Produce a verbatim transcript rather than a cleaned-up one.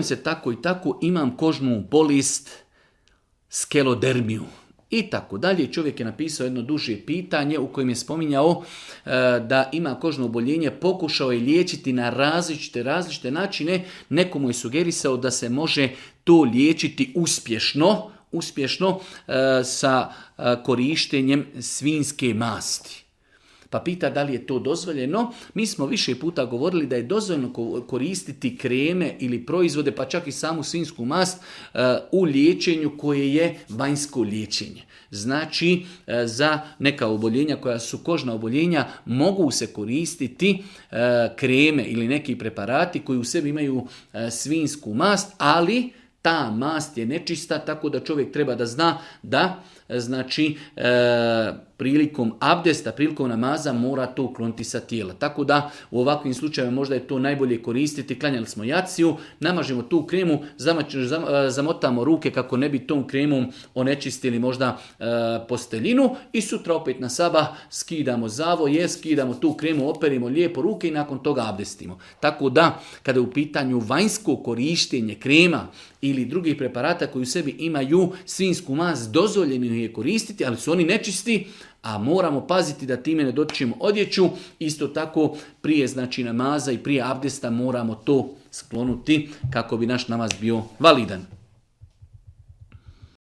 se tako i tako, imam kožnu bolest, skelodermiju i tako dalje. Čovjek je napisao jedno duže pitanje u kojem je spominjao e, da ima kožno oboljenje, pokušao je liječiti na različite, različite načine. Neko mu je sugerisao da se može to liječiti uspješno, uspješno e, sa e, korištenjem svinjske masti. Pa pita da li je to dozvoljeno. Mi smo više puta govorili da je dozvoljeno koristiti kreme ili proizvode, pa čak i samu svinjsku mast u liječenju koje je vanjsko liječenje. Znači, za neka oboljenja koja su kožna oboljenja mogu se koristiti kreme ili neki preparati koji u sebi imaju svinjsku mast, ali ta mast je nečista, tako da čovjek treba da zna da znači e, prilikom abdesta, prilikom namaza mora to ukloniti sa tijela. Tako da u ovakvim slučajevima možda je to najbolje koristiti. Klanjali smo jaciju, namažemo tu kremu, zamač, zam, zamotamo ruke kako ne bi tom kremom onečistili možda e, posteljinu i sutra opet na sabah skidamo zavoje, skidamo tu kremu, operimo lijepo ruke i nakon toga abdestimo. Tako da kada je u pitanju vanjsko korištenje krema ili drugih preparata koji u sebi imaju svinjsku mast, dozvoljeno je koristiti, ali su oni nečisti, a moramo paziti da time ne dotičemo odjeću. Isto tako prije znači namaza i prije abdesta moramo to sklonuti kako bi naš namaz bio validan.